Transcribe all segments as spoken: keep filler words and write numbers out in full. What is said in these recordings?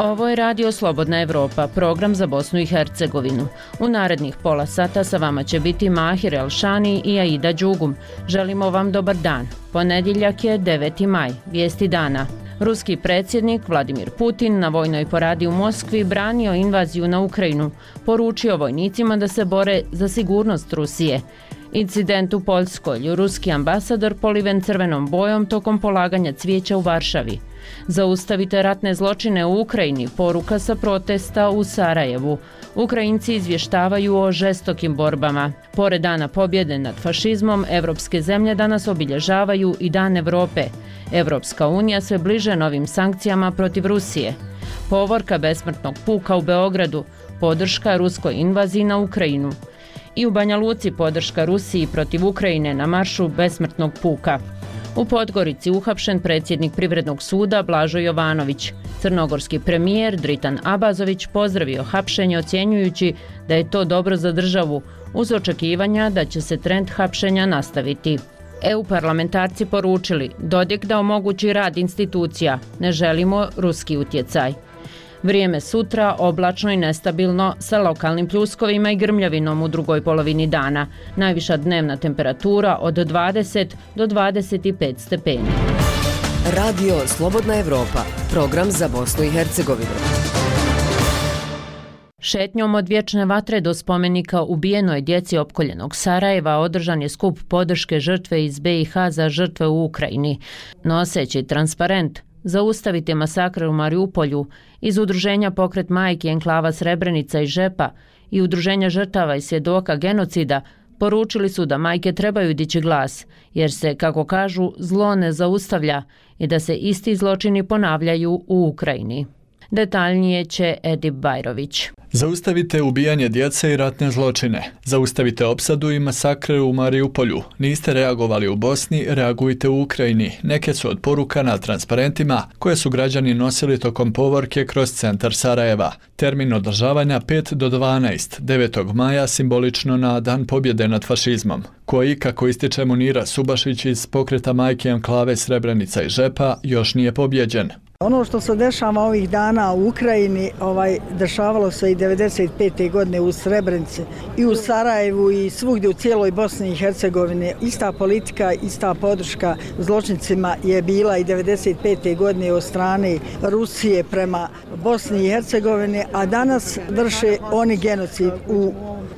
Ovo je Radio Slobodna Evropa, program za Bosnu i Hercegovinu. U narednih pola sata sa vama će biti Mahir Elšani i Aida Đugum. Želimo vam dobar dan. Ponedjeljak je deveti maj, vijesti dana. Ruski predsjednik Vladimir Putin na vojnoj paradi u Moskvi branio invaziju na Ukrajinu, poručio vojnicima da se bore za sigurnost Rusije. Incident u Poljskoj, ruski ambasador poliven crvenom bojom tokom polaganja cvijeća u Varšavi. Zaustavite ratne zločine u Ukrajini, poruka sa protesta u Sarajevu. Ukrajinci izvještavaju o žestokim borbama. Pored dana pobjede nad fašizmom, evropske zemlje danas obilježavaju i Dan Evrope. Evropska unija sve bliže novim sankcijama protiv Rusije. Povorka besmrtnog puka u Beogradu, podrška ruskoj invaziji na Ukrajinu. I u Banja Luci podrška Rusiji protiv Ukrajine na maršu besmrtnog puka. U Podgorici uhapšen predsjednik Privrednog suda Blažo Jovanović. Crnogorski premijer Dritan Abazović pozdravio hapšenje ocjenjujući da je to dobro za državu, uz očekivanja da će se trend hapšenja nastaviti. E U parlamentarci poručili Dodik da omogući rad institucija, ne želimo ruski utjecaj. Vrijeme sutra oblačno i nestabilno sa lokalnim pljuskovima i grmljavinom u drugoj polovini dana. Najviša dnevna temperatura od dvadeset do dvadeset pet stepeni. Radio Slobodna Evropa, program za Bosnu i Hercegovinu. Šetnjom od vječne vatre do spomenika ubijenoj djeci opkoljenog Sarajeva održan je skup podrške žrtve iz B i H za žrtve u Ukrajini. Noseći transparent Zaustavite masakre u Mariupolju iz udruženja Pokret majki enklava Srebrenica i Žepa i udruženja žrtava i svjedoka genocida poručili su da majke trebaju dići glas, jer se, kako kažu, zlo ne zaustavlja i da se isti zločini ponavljaju u Ukrajini. Detaljnije će Edip Bajrović. Zaustavite ubijanje djece i ratne zločine. Zaustavite opsadu i masakre u Mariupolju. Niste reagovali u Bosni, reagujte u Ukrajini. Neke su od poruka na transparentima koje su građani nosili tokom povorke kroz centar Sarajeva. Termin održavanja pet do dvanaest, devetog maja simbolično na Dan pobjede nad fašizmom, koji, kako ističe Munira Subašić iz Pokreta majke enklave Srebrenica i Žepa, još nije pobjeđen. Ono što se dešava ovih dana u Ukrajini, ovaj, dešavalo se i devedeset pete godine u Srebrenici i u Sarajevu i svugdje u cijeloj Bosni i Hercegovini. Ista politika, ista podrška zločincima je bila i devedeset pete godine od strane Rusije prema Bosni i Hercegovini, a danas vrše oni genocid u,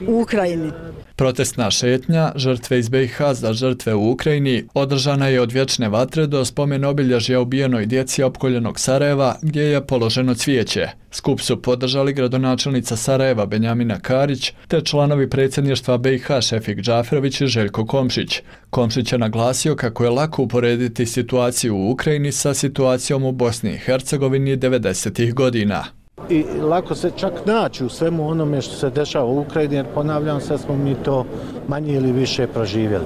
u Ukrajini. Protestna šetnja žrtve iz B i H za žrtve u Ukrajini održana je od vječne vatre do spomen obilježja ubijenoj djeci opkoljenog Sarajeva gdje je položeno cvijeće. Skup su podržali gradonačelnica Sarajeva Benjamina Karić te članovi predsjedništva B i H Šefik Džaferović i Željko Komšić. Komšić je naglasio kako je lako uporediti situaciju u Ukrajini sa situacijom u Bosni i Hercegovini devedesetih godina. I lako se čak naći u svemu onome što se dešava u Ukrajini, jer ponavljam se, smo mi to manje ili više proživjeli.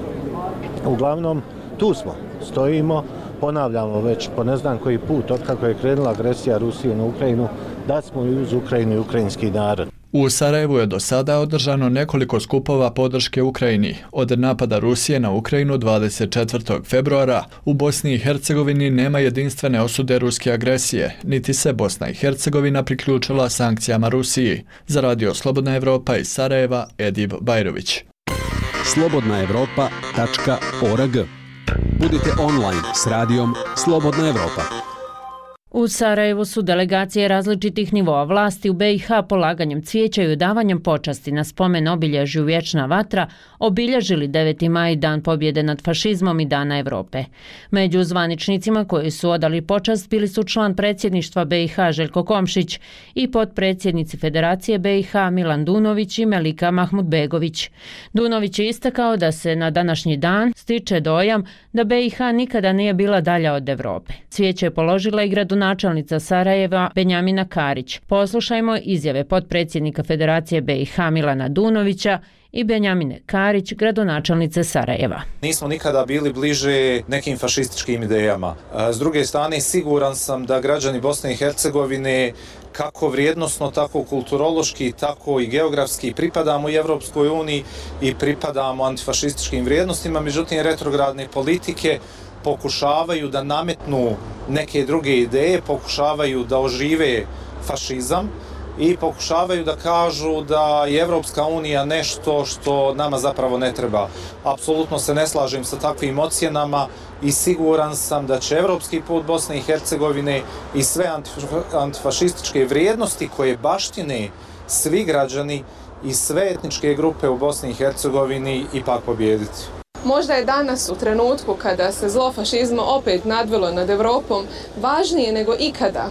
Uglavnom, tu smo, stojimo, ponavljamo već po ne znam koji put, otkako je krenula agresija Rusije na Ukrajinu, da smo i uz Ukrajinu i ukrajinski narod. U Sarajevu je do sada održano nekoliko skupova podrške Ukrajini. Od napada Rusije na Ukrajinu dvadeset četvrtog februara u Bosni i Hercegovini nema jedinstvene osude ruske agresije, niti se Bosna i Hercegovina priključila sankcijama Rusiji. Za Radio Slobodna Evropa iz Sarajeva, Edip Bajrović. slobodna evropa tačka org. Budite online s radijom Slobodna Evropa. U Sarajevu su delegacije različitih nivoa vlasti u B i H polaganjem cvijeća i odavanjem počasti na spomen obilježju Vječna vatra obilježili deveti maj, Dan pobjede nad fašizmom i Dana Evrope. Među zvaničnicima koji su odali počast bili su član predsjedništva B i H Željko Komšić i potpredsjednici Federacije B i H Milan Dunović i Melika Mahmudbegović. Dunović je istakao da se na današnji dan stiče dojam da B i H nikada nije bila dalja od Evrope. Cvijeće je položila i gradonačelnica Sarajeva Benjamina Karić. Poslušajmo izjave potpredsjednika Federacije B i H Milana Dunovića i Benjamine Karić, gradonačelnice Sarajeva. Nismo nikada bili bliže nekim fašističkim idejama. S druge strane, siguran sam da građani Bosne i Hercegovine kako vrijednosno, tako kulturološki, tako i geografski pripadamo i Evropskoj uniji i pripadamo antifašističkim vrijednostima, međutim retrogradne politike pokušavaju da nametnu neke druge ideje, pokušavaju da ožive fašizam i pokušavaju da kažu da je Evropska unija nešto što nama zapravo ne treba. Apsolutno se ne slažem sa takvim ocjenama i siguran sam da će evropski put Bosne i Hercegovine i sve antifašističke vrijednosti koje baštine svi građani i sve etničke grupe u Bosni i Hercegovini ipak pobijediti. Možda je danas u trenutku kada se zlo fašizma opet nadvilo nad Evropom važnije nego ikada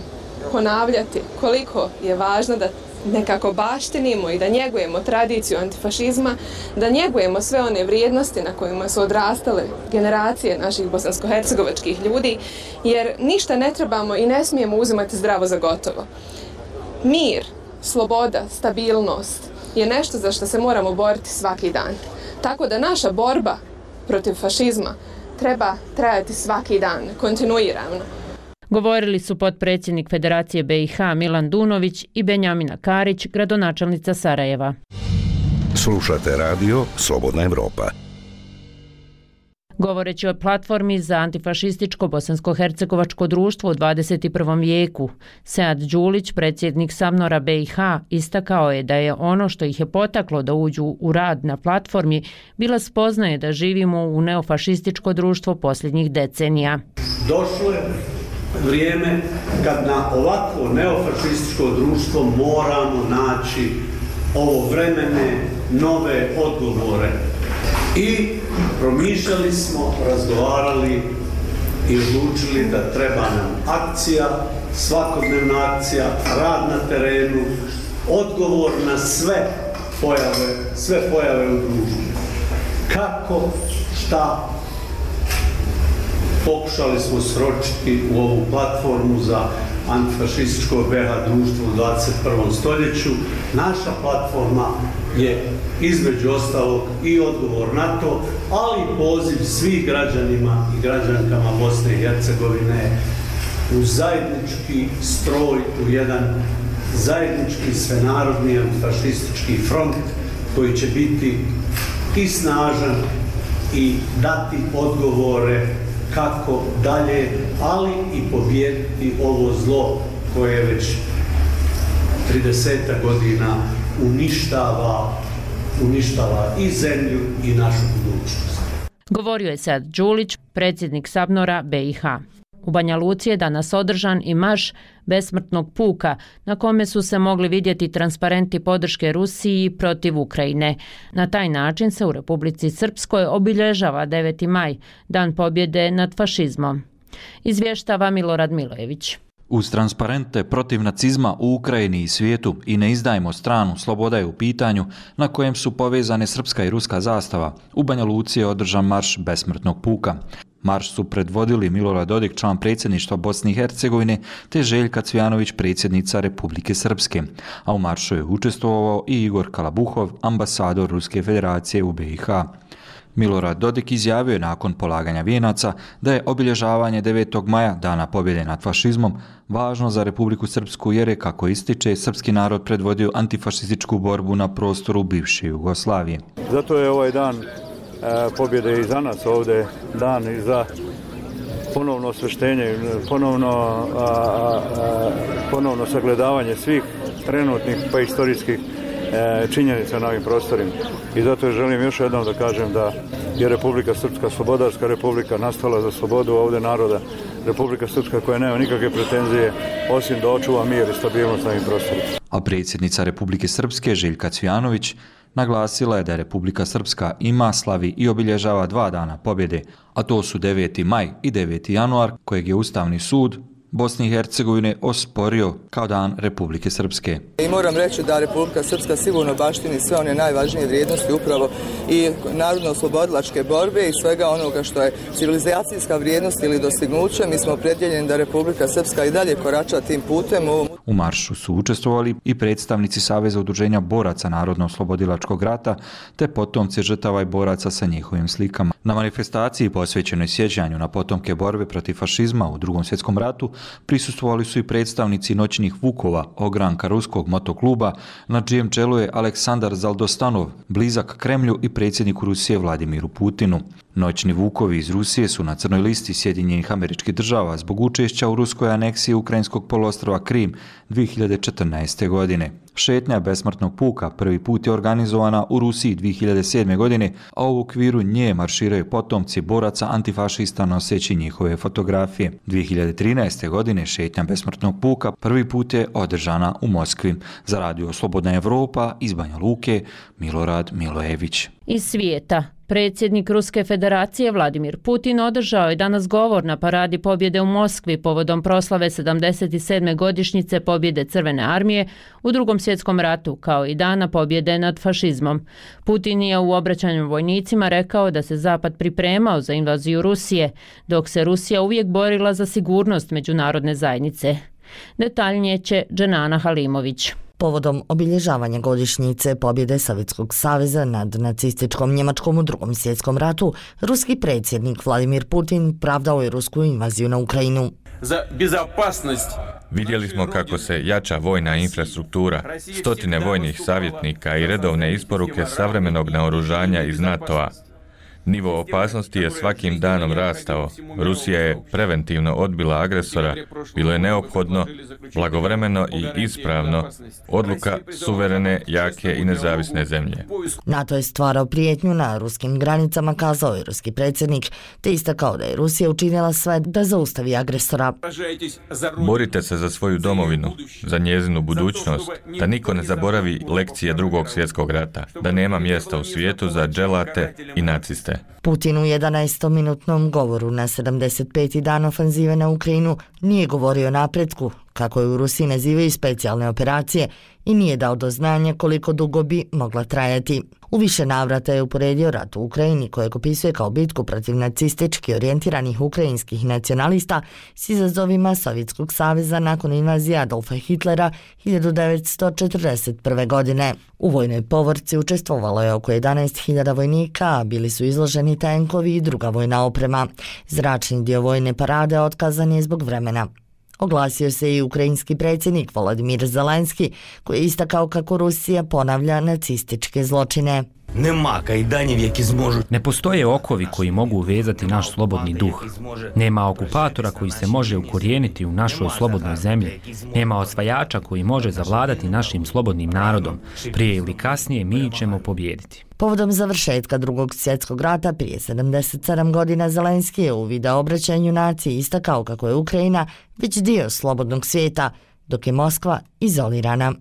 ponavljati koliko je važno da nekako baštinimo i da njegujemo tradiciju antifašizma, da njegujemo sve one vrijednosti na kojima su odrastale generacije naših bosansko-hercegovačkih ljudi, jer ništa ne trebamo i ne smijemo uzimati zdravo za gotovo. Mir, sloboda, stabilnost je nešto za što se moramo boriti svaki dan. Tako da naša borba protiv fašizma treba trajati svaki dan, kontinuirano. Govorili su potpredsjednik Federacije B i H Milan Dunović i Benjamina Karić, gradonačelnica Sarajeva. Slušate radio Slobodna Evropa. Govoreći o platformi za antifašističko bosansko-hercegovačko društvo u dvadeset i prvom vijeku, Sead Đulić, predsjednik Samnora B i H, istakao je da je ono što ih je potaklo da uđu u rad na platformi bila spoznaje da živimo u neofašističko društvo posljednjih decenija. Došlo je vrijeme kad na ovakvo neofašističko društvo moramo naći ovovremene nove odgovore. I promišljali smo, razgovarali i odlučili da treba nam akcija, svakodnevna akcija, rad na terenu, odgovor na sve pojave, sve pojave u društvu. Kako, šta, pokušali smo sročiti u ovu platformu za antifašističko B i H društvo u dvadeset prvom stoljeću. Naša platforma je između ostalog i odgovor na to, ali i poziv svih građanima i građankama Bosne i Hercegovine u zajednički stroj, u jedan zajednički svenarodni antifašistički front koji će biti i snažan i dati odgovore kako dalje, ali i pobijediti ovo zlo koje već trideset godina uništava, uništava i zemlju i našu budućnost. Govorio je Sead Đulić, predsjednik Sabnora B i H. U Banja Luci je danas održan i marš besmrtnog puka, na kome su se mogli vidjeti transparenti podrške Rusiji protiv Ukrajine. Na taj način se u Republici Srpskoj obilježava deveti maj, dan pobjede nad fašizmom. Izvještava Milorad Milojević. Uz transparente protiv nacizma u Ukrajini i svijetu i ne izdajmo stranu, sloboda je u pitanju, na kojem su povezane srpska i ruska zastava, u Banja Luci je održan marš besmrtnog puka. Marš su predvodili Milorad Dodik, član predsjedništva Bosne i Hercegovine, te Željka Cvijanović, predsjednica Republike Srpske. A u maršu je učestvovao i Igor Kalabuhov, ambasador Ruske federacije u B i H. Milorad Dodik izjavio je nakon polaganja vijenaca da je obilježavanje devetog maja, dana pobjede nad fašizmom, važno za Republiku Srpsku jer je, kako ističe, srpski narod predvodio antifašističku borbu na prostoru bivše Jugoslavije. Zato je ovaj dan e, pobjede i za nas ovdje, dan i za ponovno osveštenje, ponovno, a, a, a, ponovno sagledavanje svih trenutnih pa istorijskih činjenica na ovim prostorima. I zato želim još jednom da kažem da je Republika Srpska slobodarska republika, nastala za slobodu ovdje naroda. Republika Srpska koja nema nikakve pretenzije osim da očuva mir i stabilnost na ovim prostorima. A predsjednica Republike Srpske Željka Cvijanović naglasila je da Republika Srpska ima, slavi i obilježava dva dana pobjede, a to su deveti maj i deveti januar, kojeg je Ustavni sud Bosne i Hercegovine osporio kao dan Republike Srpske. I moram reći da Republika Srpska sigurno baštini sve one najvažnije vrijednosti upravo i narodno-oslobodilačke borbe i svega onoga što je civilizacijska vrijednost ili dostignuće. Mi smo opredjeljeni da Republika Srpska i dalje korača tim putem. U maršu su učestvovali i predstavnici Saveza udruženja boraca Narodno-oslobodilačkog rata te potomci žrtava i boraca sa njihovim slikama. Na manifestaciji posvećenoj sjećanju na potomke borbe protiv fašizma u Drugom svjetskom ratu prisustvovali su i predstavnici noćnih vukova, ogranka ruskog motokluba, na čijem čelu je Aleksandar Zaldostanov, blizak Kremlju i predsjedniku Rusije Vladimiru Putinu. Noćni vukovi iz Rusije su na crnoj listi Sjedinjenih Američkih Država zbog učešća u ruskoj aneksiji ukrajinskog poluostrva Krim dvije hiljade četrnaeste. godine. Šetnja besmrtnog puka prvi put je organizovana u Rusiji dvije hiljade sedme. godine, a u okviru nje marširaju potomci boraca antifašista noseći njihove fotografije. dvije hiljade trinaeste. godine šetnja besmrtnog puka prvi put je održana u Moskvi. Za radio Slobodna Evropa iz Banja Luke, Milorad Milojević. Iz svijeta. Predsjednik Ruske federacije Vladimir Putin održao je danas govor na paradi pobjede u Moskvi povodom proslave sedamdeset sedme. godišnjice pobjede Crvene armije u Drugom svjetskom ratu, kao i dana pobjede nad fašizmom. Putin je u obraćanju vojnicima rekao da se Zapad pripremao za invaziju Rusije, dok se Rusija uvijek borila za sigurnost međunarodne zajednice. Detaljnije će Dženana Halimović. Povodom obilježavanja godišnjice pobjede Sovjetskog saveza nad nacističkom Njemačkom u Drugom svjetskom ratu, ruski predsjednik Vladimir Putin pravdao je rusku invaziju na Ukrajinu. Za bezopasnost Vidjeli smo kako se jača vojna infrastruktura, stotine vojnih savjetnika i redovne isporuke savremenog naoružanja iz NATO-a. Nivo opasnosti je svakim danom rastao. Rusija je preventivno odbila agresora. Bilo je neophodno, blagovremeno i ispravno, odluka suverene, jake i nezavisne zemlje. NATO je stvarao prijetnju na ruskim granicama, kazao je ruski predsjednik, te istakao da je Rusija učinila sve da zaustavi agresora. Borite se za svoju domovinu, za njezinu budućnost, da niko ne zaboravi lekcije Drugog svjetskog rata, da nema mjesta u svijetu za dželate i naciste. Putin u jedanaestominutnom govoru na sedamdeset peti dan ofenzive na Ukrajinu nije govorio o napretku, kako je u Rusiji nazivaju specijalne operacije, i nije dao do znanja koliko dugo bi mogla trajati. U više navrata je uporedio rat u Ukrajini, kojeg opisuje kao bitku protiv nacistički orijentiranih ukrajinskih nacionalista s izazovima Sovjetskog saveza nakon invazije Adolfa Hitlera hiljadu devetsto četrdeset prve. godine. U vojnoj povorci učestvovalo je oko jedanaest hiljada vojnika, a bili su izloženi tenkovi i druga vojna oprema. Zračni dio vojne parade otkazan je zbog vremena. Oglasio se i ukrajinski predsjednik Volodymyr Zelenski, koji je istakao kako Rusija ponavlja nacističke zločine. Ne postoje okovi koji mogu uvezati naš slobodni duh. Nema okupatora koji se može ukorijeniti u našoj slobodnoj zemlji. Nema osvajača koji može zavladati našim slobodnim narodom. Prije ili kasnije mi ćemo pobijediti. Povodom završetka Drugog svjetskog rata prije sedamdeset sedam godina Zelenski je u video obraćanju naciji istakao kako je Ukrajina već dio slobodnog svijeta, dok je Moskva izolirana.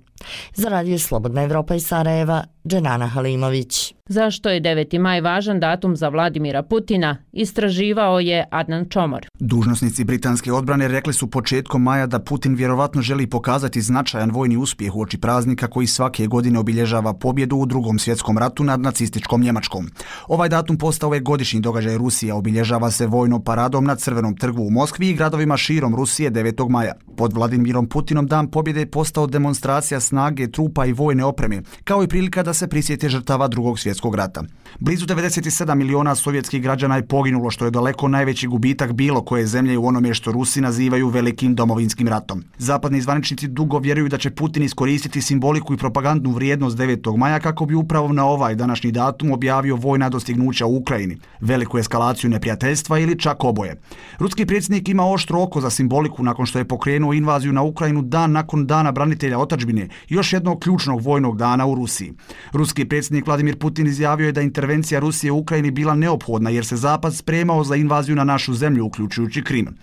Za radio Slobodna Evropa iz Sarajeva, Dženana Halimović. Zašto je deveti maj važan datum za Vladimira Putina, istraživao je Adnan Čomor. Dužnosnici britanske odbrane rekli su početkom maja da Putin vjerovatno želi pokazati značajan vojni uspjeh uoči praznika koji svake godine obilježava pobjedu u Drugom svjetskom ratu nad nacističkom Njemačkom. Ovaj datum postao je godišnji događaj Rusije, obilježava se vojnom paradom na Crvenom trgu u Moskvi i gradovima širom Rusije devetog maja. Pod Vladimirom Putinom dan pobjede je postao demonstracija snage, trupa i vojne opreme, kao i prilika da se prisjete žrtava Drugog svjetskog rata. Blizu devedeset sedam miliona sovjetskih građana je poginulo, što je daleko najveći gubitak bilo koje zemlje u onome što Rusi nazivaju velikim domovinskim ratom. Zapadni zvaničnici dugo vjeruju da će Putin iskoristiti simboliku i propagandnu vrijednost devetog maja kako bi upravo na ovaj današnji datum objavio vojna dostignuća u Ukrajini, veliku eskalaciju neprijateljstva ili čak oboje. Ruski predsjednik ima oštro oko za simboliku nakon što je pokrenuo invaziju na Ukrajinu dan nakon Dana branitelja otadžbine, još jednog ključnog vojnog dana u Rusiji. Ruski predsjednik Vladimir Putin izjavio je da intervencija Rusije u Ukrajini bila neophodna jer se Zapad spremao za invaziju na našu zemlju, uključujući Krim.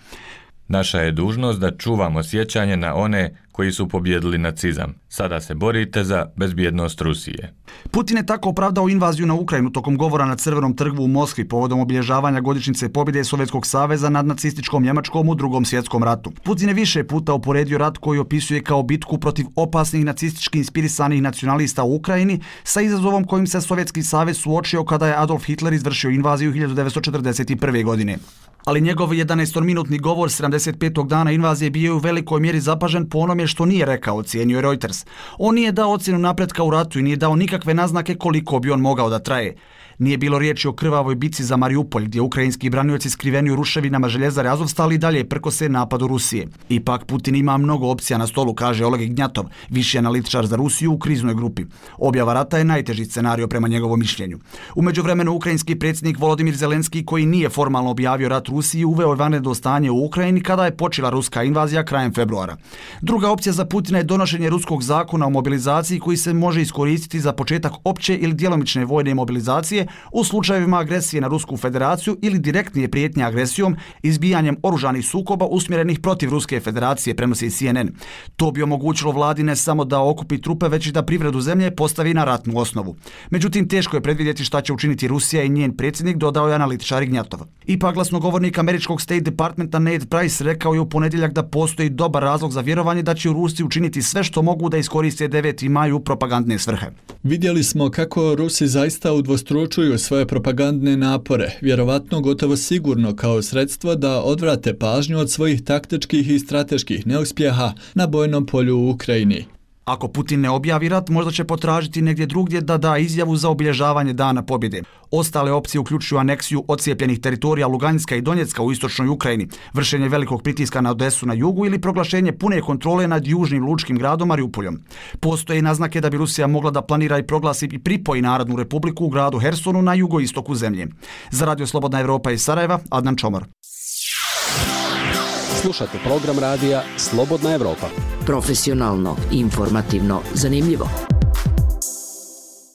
Naša je dužnost da čuvamo sjećanje na one koji su pobjedili nacizam. Sada se borite za bezbjednost Rusije. Putin je tako opravdao invaziju na Ukrajinu tokom govora na Crvenom trgu u Moskvi povodom obilježavanja godišnjice pobjede Sovjetskog saveza nad nacističkom Njemačkom u Drugom svjetskom ratu. Putin je više puta uporedio rat koji opisuje kao bitku protiv opasnih nacistički inspirisanih nacionalista u Ukrajini sa izazovom kojim se Sovjetski savez suočio kada je Adolf Hitler izvršio invaziju hiljadu devetsto četrdeset prve. godine. Ali njegov jedanaestominutni govor sedamdeset petog dana invazije bio je u velikoj mjeri zapažen po onome što nije rekao, ocijenio je Reuters. On nije dao ocjenu napretka u ratu i nije dao nikakve naznake koliko bi on mogao da traje. Nije bilo riječi o krvavoj bici za Mariupolj, gdje ukrajinski branioci skriveni u ruševinama željezare Azovstal i dalje prkose napadu Rusije. Ipak Putin ima mnogo opcija na stolu, kaže Oleg Ignjatov, viši analitičar za Rusiju u kriznoj grupi. Objava rata je najteži scenario prema njegovom mišljenju. U međuvremenu ukrajinski predsjednik Volodimir Zelenski, koji nije formalno objavio rat Rusiji, uveo je vanredno stanje u Ukrajini kada je počela ruska invazija krajem februara. Druga opcija za Putina je donošenje ruskog zakona o mobilizaciji koji se može iskoristiti za početak opće ili djelomične vojne mobilizacije u slučajevima agresije na Rusku federaciju ili direktnije prijetnje agresijom, izbijanjem oružanih sukoba usmjerenih protiv Ruske federacije, prenosi C N N. To bi omogućilo vladi ne samo da okupi trupe, već i da privredu zemlje postavi na ratnu osnovu. Međutim, teško je predvidjeti šta će učiniti Rusija i njen predsjednik, dodao je analitičar Ignjatov. Ipak glasnogovornik američkog State Departmenta Ned Price rekao je u ponedjeljak da postoji dobar razlog za vjerovanje da će Rusi učiniti sve što mogu da iskoriste deveti maj u propagandne svrhe. Vidjeli smo kako Rusi zaista udvostručuju svoje propagandne napore, vjerovatno gotovo sigurno kao sredstvo da odvrate pažnju od svojih taktičkih i strateških neuspjeha na bojnom polju u Ukrajini. Ako Putin ne objavi rat, možda će potražiti negdje drugdje da da izjavu za obilježavanje Dana pobjede. Ostale opcije uključuju aneksiju ocijepljenih teritorija Luganska i Donjecka u istočnoj Ukrajini, vršenje velikog pritiska na Odesu na jugu ili proglašenje pune kontrole nad južnim lučkim gradom Mariupoljom. Postoje naznake da bi Rusija mogla da planira i proglasi i pripoji Narodnu republiku u gradu Hersonu na jugoistoku zemlje. Za Radio Slobodna Evropa iz Sarajeva, Adnan Čomor. Slušate program radija Slobodna Evropa. Profesionalno, informativno, zanimljivo.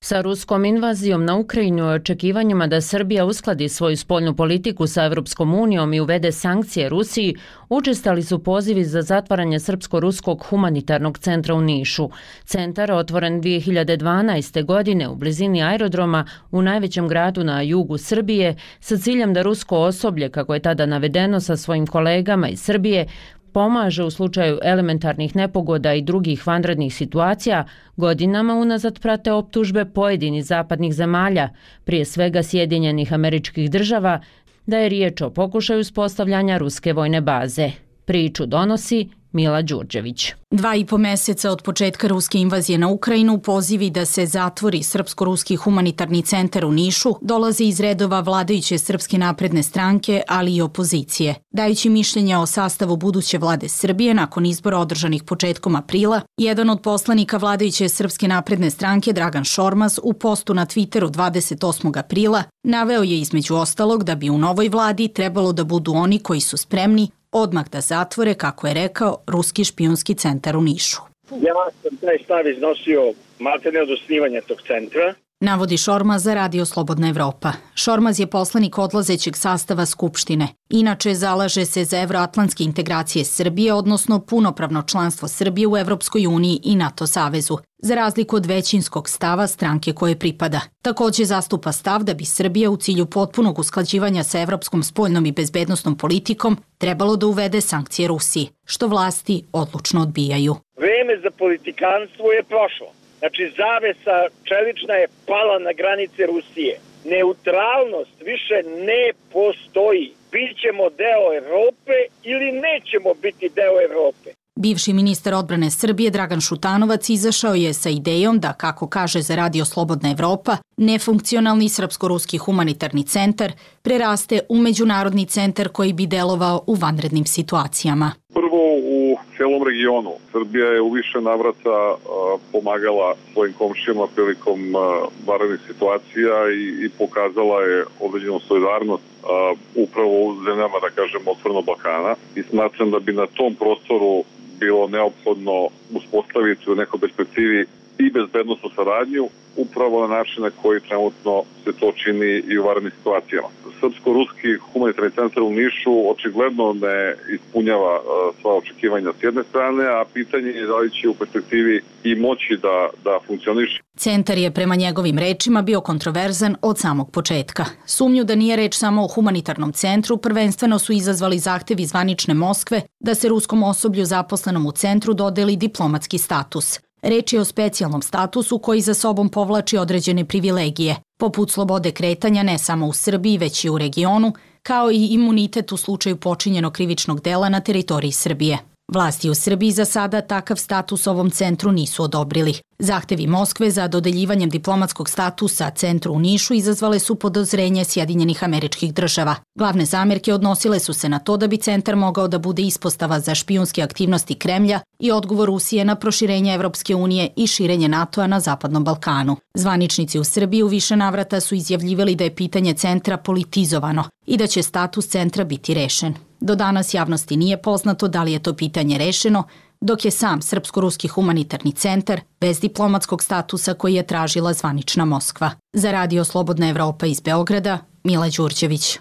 Sa ruskom invazijom na Ukrajinu i očekivanjima da Srbija uskladi svoju spoljnu politiku sa Evropskom unijom i uvede sankcije Rusiji, učestali su pozivi za zatvaranje Srpsko-ruskog humanitarnog centra u Nišu. Centar, otvoren dvije hiljade dvanaeste. godine u blizini aerodroma u najvećem gradu na jugu Srbije, sa ciljem da rusko osoblje, kako je tada navedeno sa svojim kolegama iz Srbije, pomaže u slučaju elementarnih nepogoda i drugih vanrednih situacija, godinama unazad prate optužbe pojedinih zapadnih zemalja, prije svega Sjedinjenih Američkih Država, da je riječ o pokušaju uspostavljanja ruske vojne baze. Priču donosi Mila Đurđević. Dva i po mjeseca od početka ruske invazije na Ukrajinu pozivi da se zatvori Srpsko-ruski humanitarni centar u Nišu dolaze iz redova vladajuće Srpske napredne stranke, ali i opozicije. Dajući mišljenje o sastavu buduće vlade Srbije nakon izbora održanih početkom aprila, jedan od poslanika vladajuće Srpske napredne stranke, Dragan Šormaz, u postu na Twitteru dvadeset osmog aprila naveo je između ostalog da bi u novoj vladi trebalo da budu oni koji su spremni odmah da zatvore, kako je rekao, ruski špijunski centar u Nišu. Ja sam taj stav iznosio maltene od osnivanja tog centra. Navodi Šormaz za Radio Slobodna Evropa. Šormaz je poslanik odlazećeg sastava Skupštine. Inače, zalaže se za evroatlantske integracije Srbije, odnosno punopravno članstvo Srbije u Evropskoj uniji i NATO savezu, za razliku od većinskog stava stranke koje pripada. Također zastupa stav da bi Srbija u cilju potpunog usklađivanja sa evropskom spoljnom i bezbednosnom politikom trebalo da uvede sankcije Rusiji, što vlasti odlučno odbijaju. Vreme za politikanstvo je prošlo. Znači, zavesa čelična je pala na granice Rusije. Neutralnost više ne postoji. Bićemo deo Evrope ili nećemo biti deo Evrope. Bivši ministar odbrane Srbije Dragan Šutanovac izašao je sa idejom da, kako kaže za Radio Slobodna Evropa, nefunkcionalni Srpsko-ruski humanitarni centar preraste u međunarodni centar koji bi delovao u vanrednim situacijama. Prvo, u celom regionu Srbija je u više navrata pomagala svojim komšijama prilikom vanrednih situacija i, i pokazala je određenu solidarnost upravo u zemljama, da kažem, otvorenog Balkana. I smatram da bi na tom prostoru bilo neophodno uspostaviti u nekoj perspektivi i bezbednostnu saradnju upravo na način na koji trenutno se to čini i u vanrednim situacijama. Srpsko-ruski humanitarni centar u Nišu očigledno ne ispunjava sva očekivanja s jedne strane, a pitanje je da li će u perspektivi i moći da, da funkcioniše. Centar je prema njegovim rečima bio kontroverzan od samog početka. Sumnju da nije reč samo o humanitarnom centru prvenstveno su izazvali zahtevi zvanične Moskve da se ruskom osoblju zaposlenom u centru dodeli diplomatski status. Reč je o specijalnom statusu koji za sobom povlači određene privilegije, poput slobode kretanja ne samo u Srbiji, već i u regionu, kao i imunitet u slučaju počinjenog krivičnog dela na teritoriji Srbije. Vlasti u Srbiji za sada takav status ovom centru nisu odobrili. Zahtevi Moskve za dodeljivanjem diplomatskog statusa centru u Nišu izazvale su podozrenje Sjedinjenih Američkih Država. Glavne zamerke odnosile su se na to da bi centar mogao da bude ispostava za špijunske aktivnosti Kremlja i odgovor Rusije na proširenje Evropske unije i širenje NATO-a na Zapadnom Balkanu. Zvaničnici u Srbiji u više navrata su izjavljivali da je pitanje centra politizovano i da će status centra biti rešen. Do danas javnosti nije poznato da li je to pitanje rešeno, dok je sam Srpsko-ruski humanitarni centar bez diplomatskog statusa koji je tražila zvanična Moskva. Za Radio Slobodna Evropa iz Beograda, Mila Đurđević.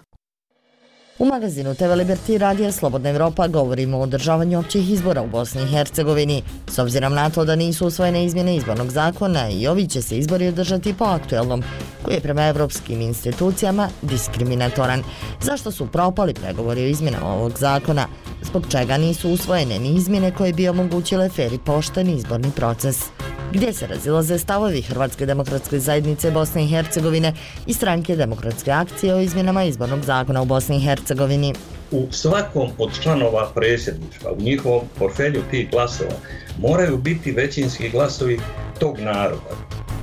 U magazinu T V Liberty Radija Slobodna Evropa govorimo o održavanju općih izbora u Bosni i Hercegovini. S obzirom na to da nisu usvojene izmjene izbornog zakona i ovi će se izbori održati po aktuelnom, koji je prema evropskim institucijama diskriminatoran. Zašto su propali pregovori o izmjenama ovog zakona? Zbog čega nisu usvojene ni izmjene koje bi omogućile fer i pošten izborni proces? Gdje se razilaze stavovi Hrvatske demokratske zajednice Bosne i Hercegovine i stranke Demokratske akcije o izmjenama izbornog zakona u Bosni i Hercegovini? U svakom od članova predsjedništva, u njihovom portfelju tih glasova, moraju biti većinski glasovi tog naroda.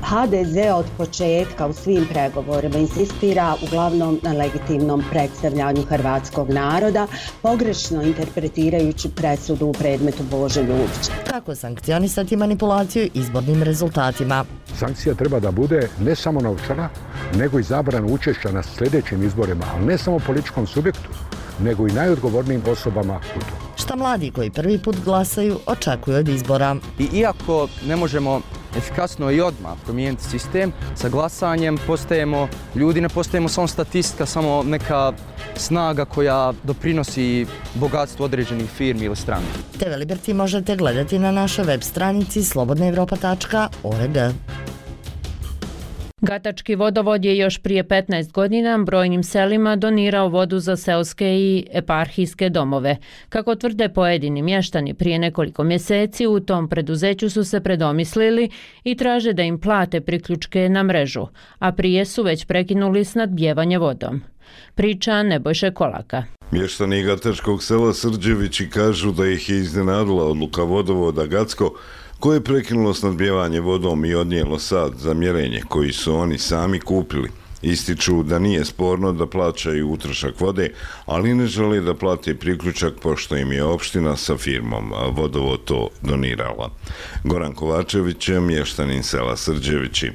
ha de ze od početka u svim pregovorima insistira uglavnom na legitimnom predstavljanju hrvatskog naroda, pogrešno interpretirajući presudu u predmetu Bože Ljubića. Kako sankcionisati manipulaciju izbornim rezultatima? Sankcija treba da bude ne samo novčana, nego i zabrana učešća na sljedećim izborima, ali ne samo političkom subjektu, nego i najodgovornijim osobama u to. Šta mladi koji prvi put glasaju očekuju od izbora? I iako ne možemo efikasno i odmah promijeniti sistem, sa glasanjem postajemo ljudi, ne postajemo samo statistika, samo neka snaga koja doprinosi bogatstvu određenih firmi ili stranaka. T V Liberty možete gledati na našoj web stranici slobodna evropa tačka org. Gatački vodovod je još prije petnaest godina brojnim selima donirao vodu za seoske i eparhijske domove. Kako tvrde pojedini mještani, prije nekoliko mjeseci u tom preduzeću su se predomislili i traže da im plate priključke na mrežu, a prije su već prekinuli snadbijevanje vodom. Priča Nebojše Kolaka. Mještani Gatačkog sela Srđevići kažu da ih je iznenadila odluka vodovoda Gacko, koje je prekinulo snadbijevanje vodom i odnijelo sad za mjerenje koji su oni sami kupili. Ističu da nije sporno da plaćaju utrošak vode, ali ne žele da plate priključak pošto im je opština sa firmom vodovod to donirala. Goran Kovačević je mještanin sela Srđevići.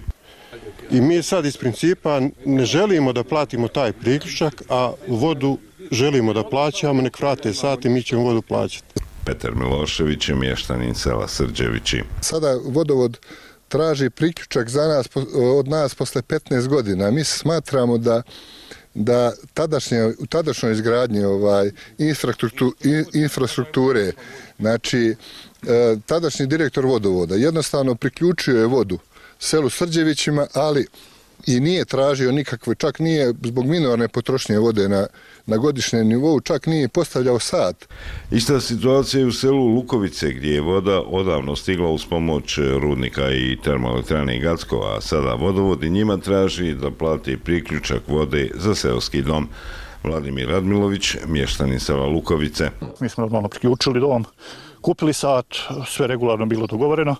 I mi sad iz principa ne želimo da platimo taj priključak, a vodu želimo da plaćamo, nek vrate sati, mi ćemo vodu plaćati. Petar Milošević je mještanin sela Srđevići. Sada vodovod traži priključak za nas, od nas posle petnaest godina. Mi smatramo da da tadašnje, u tadašnjoj izgradnji ovaj, infrastrukture, infrastrukture, znači tadašnji direktor vodovoda jednostavno priključio je vodu selu Srđevićima, ali i nije tražio nikakve, čak nije zbog minorne potrošnje vode na, na godišnjem nivou, čak nije postavljao sat. Ista situacija je u selu Lukovice, gdje je voda odavno stigla uz pomoć rudnika i termoelektrane Gacko, a sada vodovod i njima traži da plati priključak vode za seoski dom. Vladimir Radmilović, mještanin sela Lukovice. Mi smo normalno priključili dom, kupili sat, sve regularno bilo dogovoreno,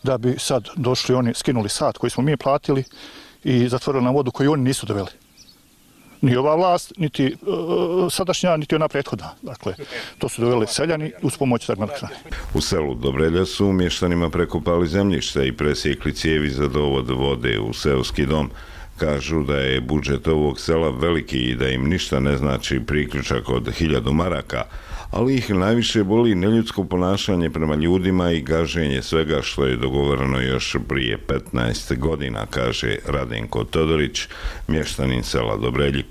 da bi sad došli oni, skinuli sat koji smo mi platili i zatvorili na vodu koju oni nisu doveli. Ni ova vlast, niti uh, sadašnja, niti ona prethodna. Dakle, to su doveli seljani uz pomoć termoelektrane. U selu Dobrelja su mještanima prekopali zemljište i presjekli cijevi za dovod vode u seoski dom. Kažu da je budžet ovog sela veliki i da im ništa ne znači priključak od hiljadu maraka, ali ih najviše boli neljudsko ponašanje prema ljudima i gaženje svega što je dogovoreno još prije petnaest godina, kaže Radenko Todorić, mještanin sela Dobrelji.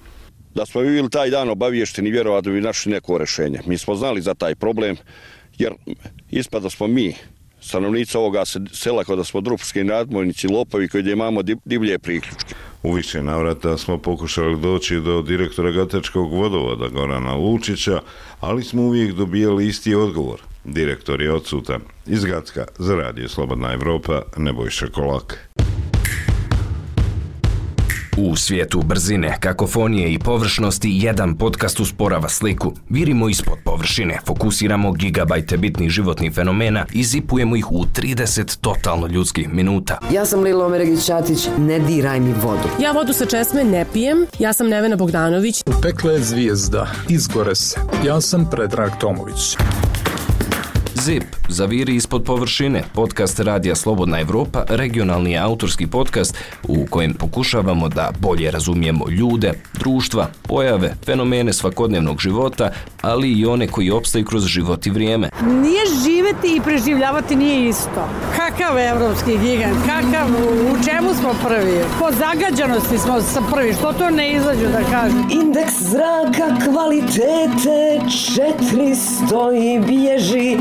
Da smo bili taj dan obavješteni, vjerovatno bi našli neko rješenje. Mi smo znali za taj problem, jer ispada smo mi, stanovnici ovoga sela, kada smo drupski nadmojnici, lopovi koji imamo divlje priključke. U više navrata smo pokušali doći do direktora Gatačkog vodovoda Gorana Lučića, ali smo uvijek dobijali isti odgovor. Direktor je odsutan. Iz Gacka za Radio Slobodna Evropa, Nebojša Kolak. U svijetu brzine, kakofonije i površnosti, jedan podcast usporava sliku. Virimo ispod površine, fokusiramo gigabajte bitnih životnih fenomena i zipujemo ih u trideset totalno ljudskih minuta. Ja sam Lilo Omeregić-Ćatić, ne diraj mi vodu. Ja vodu sa česme ne pijem, ja sam Nevena Bogdanović. Pekla je zvijezda, izgore se. Ja sam Predrag Tomović. Zip, zaviri ispod površine, podcast Radija Slobodna Evropa, regionalni autorski podcast u kojem pokušavamo da bolje razumijemo ljude, društva, pojave, fenomene svakodnevnog života, ali i one koji opstaju kroz život i vrijeme. Nije živeti i preživljavati nije isto. Kakav evropski gigant, kakav, u čemu smo prvi? Po zagađanosti smo prvi, što to ne izađu da kažem? Indeks zraka kvalitete četiristo i bježi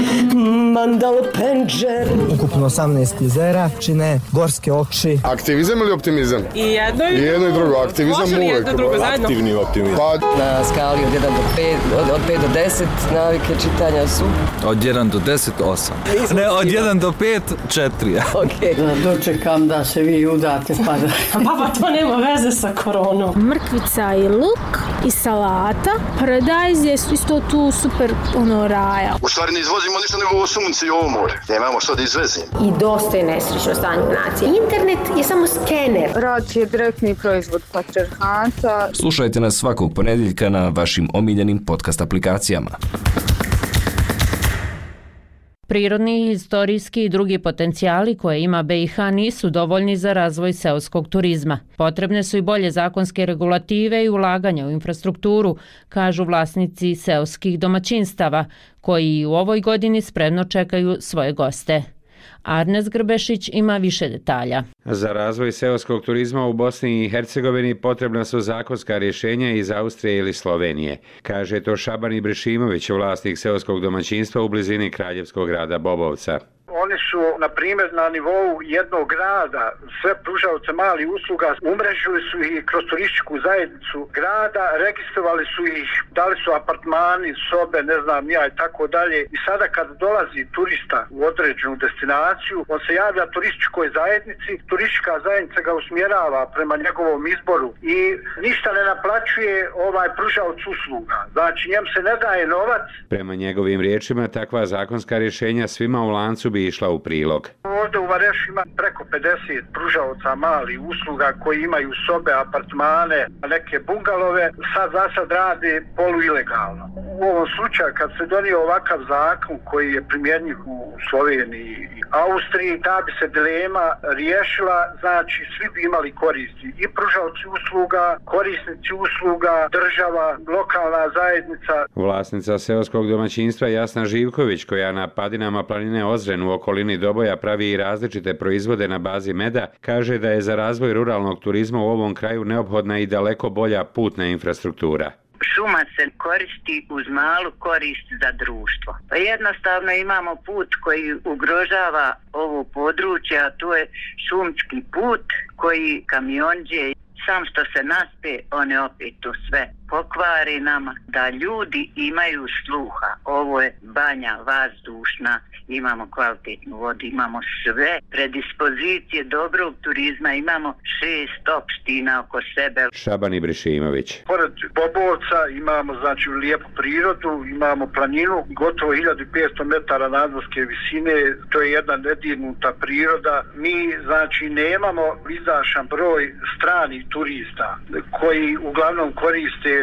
Mandal Penđer. Ukupno osamnaest jezera čine gorske oči. Aktivizam ili optimizam? I jedno i, I jedno i drugo. Aktivizam uvijek. Aktivni optimizam. Pa na skali od jedan do pet, od, od pet do deset navike čitanja su? Od jedan do deset, osam. Ne, od jedan do pet, četiri. Okay. Da dočekam da se vi udate pa da... Baba, to nema veze sa koronom. Mrkvica i luk i salata. Paradajz je isto tu super ono raja. U stvari ne izvozimo ništa nego ovo sunce i ovo more. Nemamo što da izvezimo. I dosta je nesrećno stanje u naciji. Internet je samo skener. Rad je direktni proizvod patrijarhata. Slušajte nas svakog ponedjeljka na vašim omiljenim podcast aplikacijama. Prirodni, historijski i drugi potencijali koje ima B i H nisu dovoljni za razvoj seoskog turizma. Potrebne su i bolje zakonske regulative i ulaganja u infrastrukturu, kažu vlasnici seoskih domaćinstava, koji u ovoj godini spremno čekaju svoje goste. Arnes Grbešić ima više detalja. Za razvoj seoskog turizma u Bosni i Hercegovini potrebna su zakonska rješenja iz Austrije ili Slovenije, kaže to Šaban Ibrešimović, vlasnik seoskog domaćinstva u blizini kraljevskog grada Bobovca. Oni su, na primjer, na nivou jednog grada, sve pružaoce malih usluga, umrežili su ih kroz turističku zajednicu grada, registrovali su ih, dali su apartmani, sobe, ne znam ja i tako dalje. I sada kad dolazi turista u određenu destinaciju, on se javlja turističkoj zajednici, turistička zajednica ga usmjerava prema njegovom izboru i ništa ne naplaćuje ovaj pružaoc usluga. Znači, njem se ne daje novac. Prema njegovim riječima, takva zakonska rješenja svima u lancu bi išla u prilog. Ovdje u Varešu ima preko pedeset pružaoca malih usluga koji imaju sobe, apartmane, neke bungalove, sad za sad rade poluilegalno. U ovom slučaju kad se donio ovakav zakon koji je primjenjiv u Sloveniji i Austriji, ta bi se dilema riješila, znači svi bi imali koristi. I pružaoci usluga, korisnici usluga, država, lokalna zajednica. Vlasnica seoskog domaćinstva Jasna Živković, koja na padinama planine Ozren u okolini Doboja pravi i različite proizvode na bazi meda, kaže da je za razvoj ruralnog turizma u ovom kraju neophodna i daleko bolja putna infrastruktura. Šuma se koristi uz malu korist za društvo. Pa jednostavno imamo put koji ugrožava ovo područje, a to je šumski put koji kamionđe, sam što se naspe, one opet to sve pokvari nama, da ljudi imaju sluha. Ovo je banja vazdušna, imamo kvalitetnu vodu, imamo sve predispozicije dobrog turizma, imamo šest opština oko sebe. Šaban Ibrešimović. Pored Bobovca imamo znači lijepu prirodu, imamo planinu, gotovo hiljadu petsto metara nadmorske visine, to je jedna nedirnuta priroda. Mi znači nemamo izašan broj stranih turista koji uglavnom koriste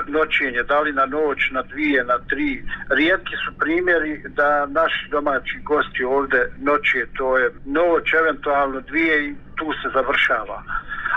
noćenje, da li na noć, na dvije, na tri. Rijetki su primjeri da naši domaći gosti ovdje noće, to je noć, eventualno dvije i tu se završava.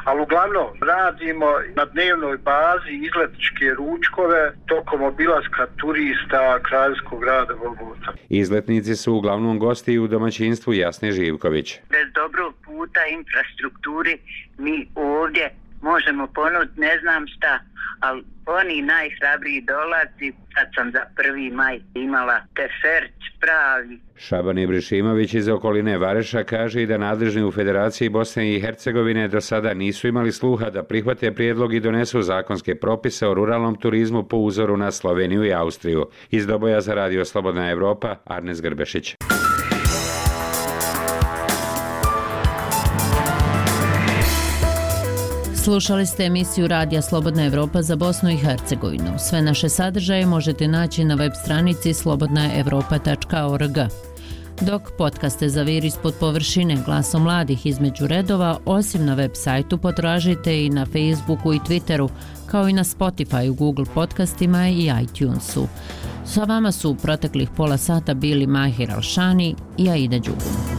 Ali uglavnom radimo na dnevnoj bazi izletničke ručkove tokom obilaska turista kraljevskog grada Bobovca. Izletnici su uglavnom gosti u domaćinstvu Jasne Živković. Bez dobrog puta infrastrukturi mi ovdje možemo ponuditi ne znam šta, ali oni najhrabriji dolazi, sad sam za prvi maj imala teferć pravi. Šaban Ibrešimović iz okoline Vareša kaže i da nadležni u Federaciji Bosne i Hercegovine do sada nisu imali sluha da prihvate prijedlog i donesu zakonske propise o ruralnom turizmu po uzoru na Sloveniju i Austriju. Iz Doboja za Radio Slobodna Evropa, Arnes Grbešić. Slušali ste emisiju Radija Slobodna Evropa za Bosnu i Hercegovinu. Sve naše sadržaje možete naći na web stranici slobodna evropa tačka org. Dok podcaste Zaviri ispod površine, glasom mladih između redova, osim na web sajtu potražite i na Facebooku i Twitteru, kao i na Spotify, Google podcastima i iTunesu. Sa vama su u proteklih pola sata bili Mahir Alšani i Aida Đugum.